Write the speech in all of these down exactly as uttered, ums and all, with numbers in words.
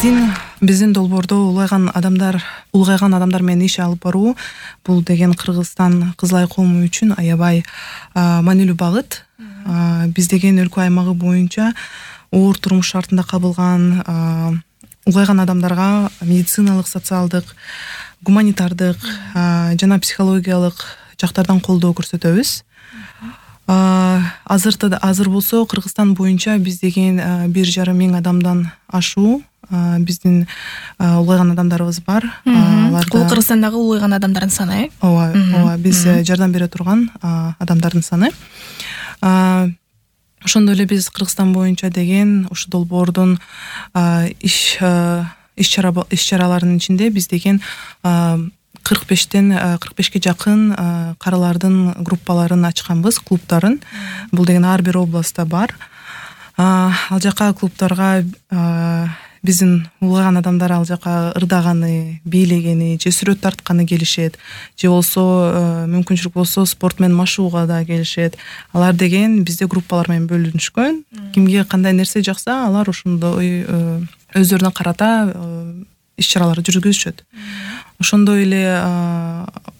биздин биздин долбоордо улгайган адамдар улгайган адамдар менен иш алып баруу бул деген Кыргызстан Кызылай коому үчүн аябай маанилүү багыт. Биз деген өлкө аймагы боюнча оор турмуш шартында кабылган улгайган адамдарга медициналык, социалдык, гуманитардык жана психологиялык жактардан колдоо көрсөтөбүз. Азыр азыр болсо Кыргызстан боюнча биз деген бир жарым миң адамдан ашуу биздин улгайган адамдарыбыз бар. Аларда бул Кыргызстандагы улгайган адамдардын саны, э? Ооба, ооба, биз жардам бере турган адамдардын саны. Ошондой эле биз Кыргызстан боюнча деген ушу долбоордун иш иш чара иш чараларынын ичинде биз деген кырк бештен кырк бешке жакын карылардын группаларын ачканбыз, клубдарын. Бул деген ар бир областта бар. Ал жака клубдарга биздин улгайган адамдар ал жака ырдаганы, бийлегени же сүрөт тартканы келишет, же болсо мүмкүнчүлүк болсо спорт менен машууга да келишет. Алар деген бизде группалар менен бөлүнүшкөн. Кимге кандай нерсе жакса, алар ошондой өздөрүнө карата иш чаралар жүргүзүшөт. Ошондой эле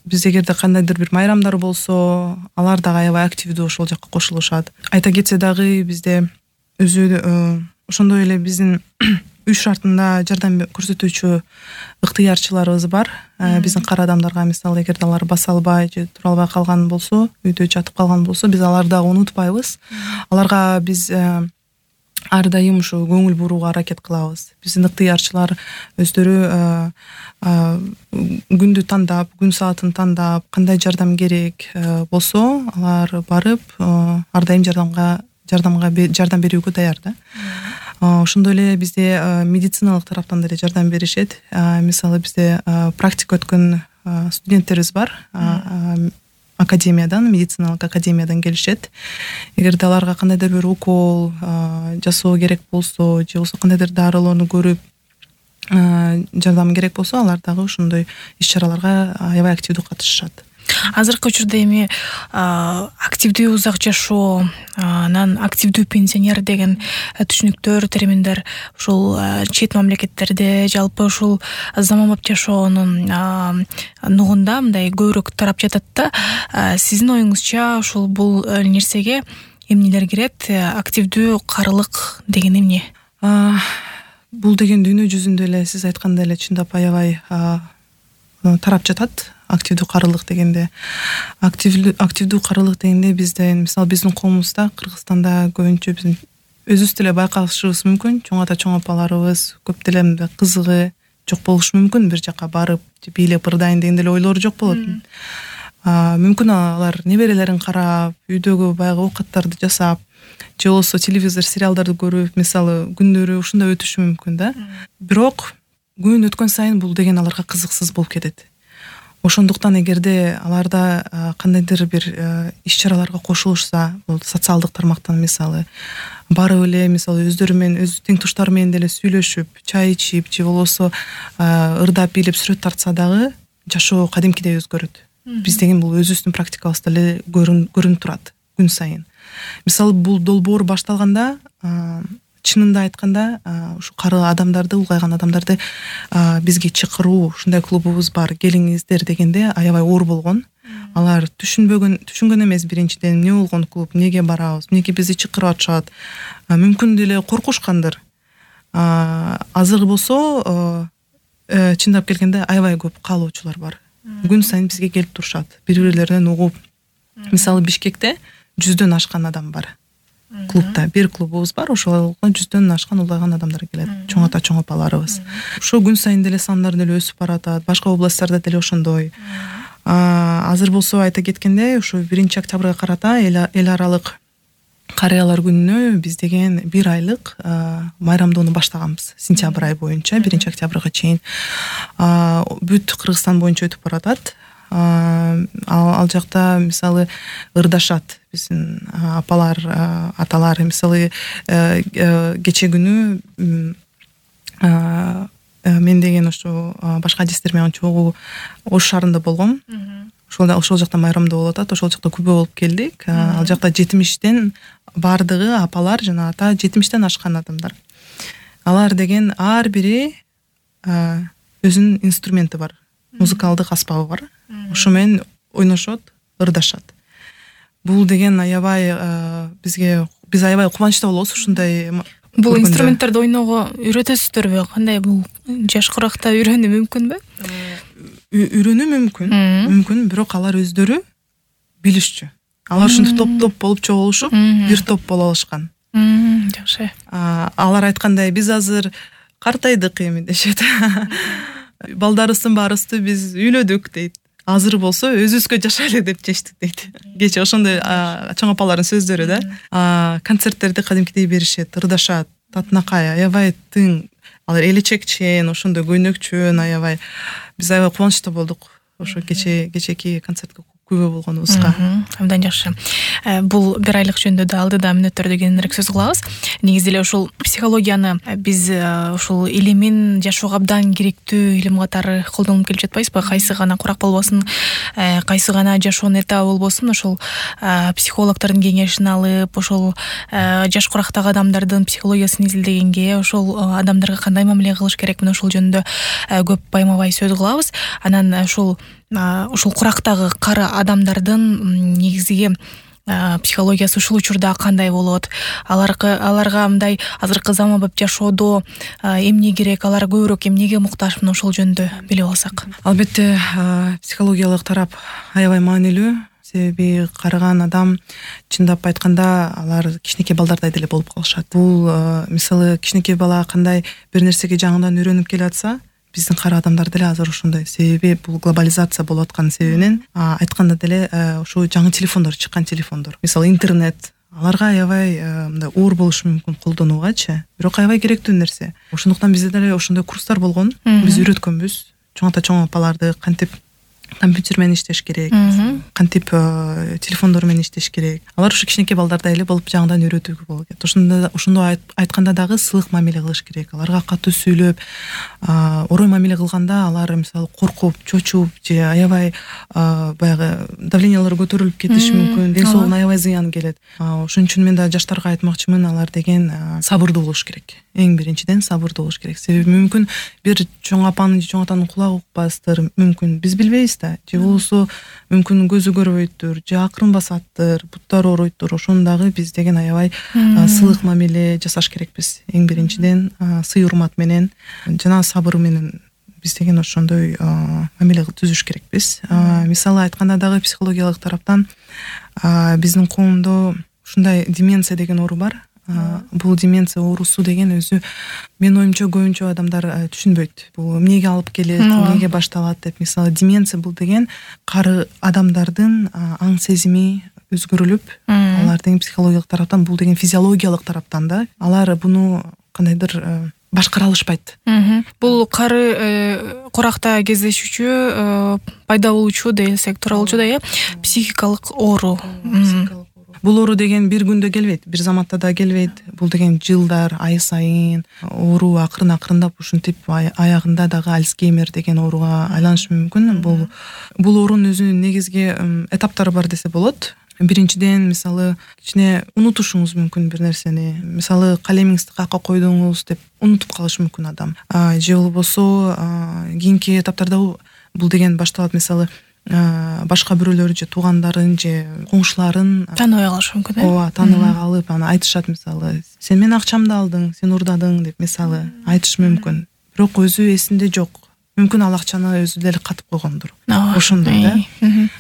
биз эгерде кандайдыр бир майрамдар болсо, алар дагы аябай активдүү ошол жакка кошулушат. Айта кетсе дагы бизде өзү ошондой эле биздин үй шартында жардам көрсөтүүчү ыктыярчыларыбыз бар. Биздин кара адамдарга мисалы эгерде алар баса албай же тура албай калган болсо, үйдө жатып калган болсо, биз аларды дагы унутпайбыз. Аларга биз ар дайым ушу көңүл бурууга аракет кылабыз. Биздин ыктыярчылар өздөрү күндү тандап, күн саатын тандап, кандай жардам керек болсо, алар барып ар дайым жардамга жардамга жардам берүүгө даяр да. Ошондой эле бизде медициналык тараптан деле жардам беришет. Мисалы бизде практика өткөн студенттерибиз бар. Академиядан, медициналык академиядан келишет. Эгерде аларга кандайдыр бир укол жасоо керек болсо, же болбосо кандайдыр дарылоону көрүп жардам керек болсо, алар дагы ошондой иш чараларга аябай активдүү катышышат. Азыркы учурда эми активдүү узак жашоо, анан активдүү пенсионер деген түшүнүктөр, терминдер ушул чет мамлекеттерде жалпы ушул заманбап жашоонун нугунда мындай көбүрөөк тарап жатат да. Сиздин оюңузча ушул бул нерсеге эмнелер кирет? Активдүү карылык деген эмне? Бул деген дүйнө жүзүндө эле сиз айткандай эле чындап аябай тарап жатат. Активдүү карылык дегенде, активдүү активдүү карылык дегенде бизде, мисалы биздин коомубузда, Кыргызстанда көбүнчө биздин өзүбүз деле байкашыбыз мүмкүн, чоң ата чоң апаларыбыз көп деле мындай кызыгы жок болушу мүмкүн, бир жака барып бийлеп ырдайын деген деле ойлору жок болот. Мүмкүн алар неберелерин карап, үйдөгү баягы оокаттарды жасап, же болбосо телевизор, сериалдарды көрүп, мисалы күндөрү ушундай өтүшү мүмкүн да. Бирок күн өткөн сайын бул деген аларга кызыксыз болуп кетет. Ошондуктан эгерде аларда кандайдыр бир иш чараларга кошулушса, бул социалдык тармактан мисалы барып эле мисалы өздөрү менен, өз тең туштары менен деле сүйлөшүп, чай ичип, же болбосо ырдап бийлеп сүрөт тартса дагы жашоо кадимкидей өзгөрөт. Биз деген бул өзүбүздүн практикабызда эле көрүнүп турат күн сайын. Мисалы бул долбоор башталганда, чынында айтканда, ушу кары адамдарды, улгайган адамдарды бизге чакыруу, ушундай клубубуз бар, келиңиздер дегенде аябай оор болгон. Алар түшүнбөгөн, түшүнгөн эмес биринчиден эмне болгон клуб, эмнеге барабыз, эмнеге бизди чакырып атышат. Мүмкүн деле коркушкандыр. Азыр болсо, чындап келгенде аябай көп каалоочулар бар. Күн сайын бизге келип турушат, бири-бирлеринен угуп. Мисалы Бишкекте жүздөн ашкан адам бар. Клубда бир клубубуз бар, ошого жүздөн ашкан улгайган адамдар келет, чоң ата чоң апаларыбыз. Ошо күн сайын деле сандар деле өсүп баратат, башка областтарда деле ошондой. Азыр болсо айта кеткенде, ушу биринчи октябрга карата эл аралык карыялар күнүнө биз деген бир айлык майрамдоону баштаганбыз. Сентябрь ай боюнча биринчи октябрга чейин бүт Кыргызстан боюнча өтүп баратат. Ал жакта мисалы ырдашат биздин апалар, аталар. Мисалы кече күнү мен деген ошо башка адистер менен чогуу Ош шаарында болгом. Ошол ошол жакта майрамдоо болуп атат. Ошол жакта күбө болуп келдик. Ал жакта жетимиштен бардыгы апалар жана ата жетимиштен ашкан адамдар. алар деген ар бири өзүнүн инструменти бар, музыкалдык аспабы бар. Ошо менен ойношот, ырдашат. Бул деген аябай бизге биз аябай кубанычта болобуз ушундай. Бул инструменттерди ойноого үйрөтөсүздөрбү? Кандай, бул жаш куракта үйрөнүү мүмкүнбү? Үйрөнүү мүмкүн, мүмкүн, бирок алар өздөрү билишчү. Алар ушинтип топ-топ болуп чогулушуп, бир топ боло алышкан. Жакшы. Алар айткандай, биз азыр картайдык эми дешет. Балдарыбыздын баарыбызды биз үйлөдүк дейт. Азыр болсо өзүбүзгө жашайлы деп чечтик дейт. Кече ошондой чоң апалардын сөздөрү да. Концерттерди кадимкидей беришет, ырдашат, татынакай, аябай тың. Алар элечекчен, ошондой көйнөкчөн, аябай. Биз аябай кубанычта болдук ошо кече кечеки концертке күбө болгонубузга. Абдан жакшы. Бул бир айлык жөнүндө да алдыда мүнөттөрдө кененирээк сөз кылабыз. Негизи эле ушул психологияны биз ушул илимин жашоого абдан керектүү илим катары колдонуп келип жатпайбызбы? Кайсы гана курак болбосун, кайсы гана жашоонун этабы болбосун, ошол психологдордун кеңешин алып, ошол жаш курактагы адамдардын психологиясын изилдегенге, ошол адамдарга кандай мамиле кылыш керек, мына ошол жөнүндө көп байма-бай сөз кылабыз. Анан ушул ушул курактагы кары адамдардын негизги психологиясы ушул учурда кандай болот? Аларга аларга мындай азыркы заманбап жашоодо эмне керек, алар көбүрөөк эмнеге муктаж, мына ошол жөнүндө билип алсак. Албетте, психологиялык тарап аябай маанилүү. Себеби карыган адам чындап айтканда алар кичинекей балдардай деле болуп калышат. Бул мисалы кичинекей бала кандай бир нерсеге жаңыдан үйрөнүп келатса, биздин кары адамдар деле азыр ошондой. Себеби бул глобализация болуп аткан себебинен айтканда деле ошо жаңы телефондор чыккан телефондор. Мисалы интернет аларга аябай мындай оор болушу мүмкүн колдонуугачы, бирок аябай керектүү нерсе. Ошондуктан бизде деле ошондой курстар болгон. Биз үйрөткөнбүз. Чоң ата чоң апаларды кантип компьютер менен иштеш керек, кантип телефондор менен иштеш керек. Алар ушу кичинекей балдардай эле болуп жаңыдан үйрөтүүгө болот. Ошондо ошондой айтканда дагы сылык мамиле кылыш керек. Аларга катуу сүйлөп, орой мамиле кылганда алар мисалы коркуп, чочуп же аябай баягы давлениялары көтөрүлүп кетиши мүмкүн, ден соолугуна аябай зыян келет. Ошон үчүн мен да жаштарга айтмакчымын, алар деген сабырдуу болуш керек. Эң биринчиден сабырдуу болуш керек. Себеби мүмкүн бир чоң апанын же чоң атанын кулагы укпастыр, мүмкүн биз билбейбиз да. Же болсо мүмкүн көзү көрбөйттүр, же акырын басаттыр, буттары ооруйттур. Ошону дагы биз деген аябай сылык мамиле жасаш керекпиз. Эң биринчиден сый урмат менен жана сабыр менен биз деген ошондой мамиле түзүш керекпиз. Мисалы айтканда дагы психологиялык тараптан биздин коомдо ушундай деменция деген оору бар. Бул деменция оорусу деген өзү менин оюмча көбүнчө адамдар түшүнбөйт. Бул эмнеге алып келет, эмнеге башталат деп. Мисалы деменция бул деген кары адамдардын аң сезими өзгөрүлүп, алардын психологиялык тараптан, бул деген физиологиялык тараптан да алар буну кандайдыр башкара алышпайт. Бул кары куракта кездешүүчү, пайда болуучу десек туура болчу да, э, психикалык оору. Бул оору деген бир күндө келбейт, бир заматта да келбейт. Бул деген жылдар, ай сайын оору акырын акырындап ушинтип аягында дагы Альцгеймер деген ооруга айланышы мүмкүн. Бул бул оорунун өзүнүн негизги этаптары бар десе болот. Биринчиден, мисалы, кичине унутушуңуз мүмкүн бир нерсени. Мисалы, калемиңизди каякка койдуңуз деп унутуп калышы мүмкүн адам. Же болбосо кийинки этаптарда бул деген башталат, мисалы, башка бирөөлөр же туугандарын же коңшуларын тааныбай калышы мүмкүн. Ооба, тааныбай калып, аны айтышат, мисалы, сен менин акчамды алдың, сен урдадың деп, мисалы, айтышы мүмкүн. Бирок өзү эсинде жок. Мүмкүн ал акчаны өзү деле катып койгондур. Ошондой да.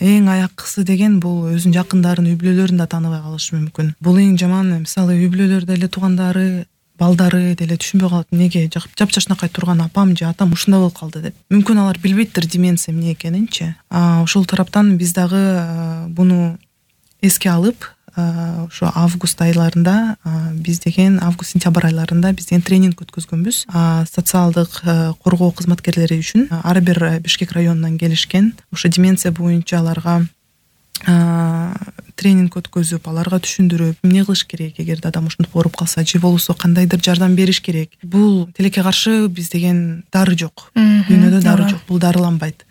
Эң аяккысы деген бул өзүнүн жакындарын, үй бүлөлөрүн да тааныбай калышы мүмкүн. Бул эң жаман, мисалы, үй бүлөлөр деле туугандары, балдары деле түшүнбөй калат, эмнеге жапжашнакай турган апам же атам ушундай болуп калды деп. Мүмкүн алар билбейттир деменция эмне экенинчи. Ошол тараптан биз дагы буну эске алып, ошо август айларында биз деген август сентябрь айларында биз деген тренинг өткөзгөнбүз. Социалдык коргоо кызматкерлери үчүн ар бир Бишкек районунан келишкен. Ошо деменция боюнча аларга тренинг өткөзүп, аларга түшүндүрүп, эмне кылыш керек эгерде адам ушинтип ооруп калса, же болбосо кандайдыр жардам бериш керек. Бул тилекке каршы биз деген дары жок. Дүйнөдө дары жок, бул дарыланбайт.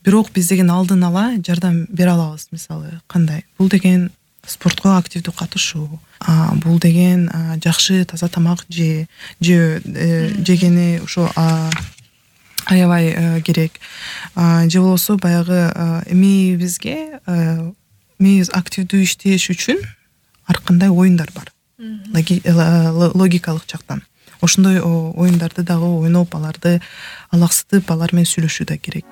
Бирок биз деген алдын ала жардам бере алабыз, мисалы, кандай? Бул деген спортко активдүү катышуу, бул деген жакшы таза тамак же жегени ошо аябай керек. Же болбосо баягы мээбизге мээбиз активдүү иштеш үчүн ар кандай оюндар бар. Логикалык жактан. Ошондой оюндарды дагы ойноп, аларды алаксытып, алар менен сүйлөшүү да керек.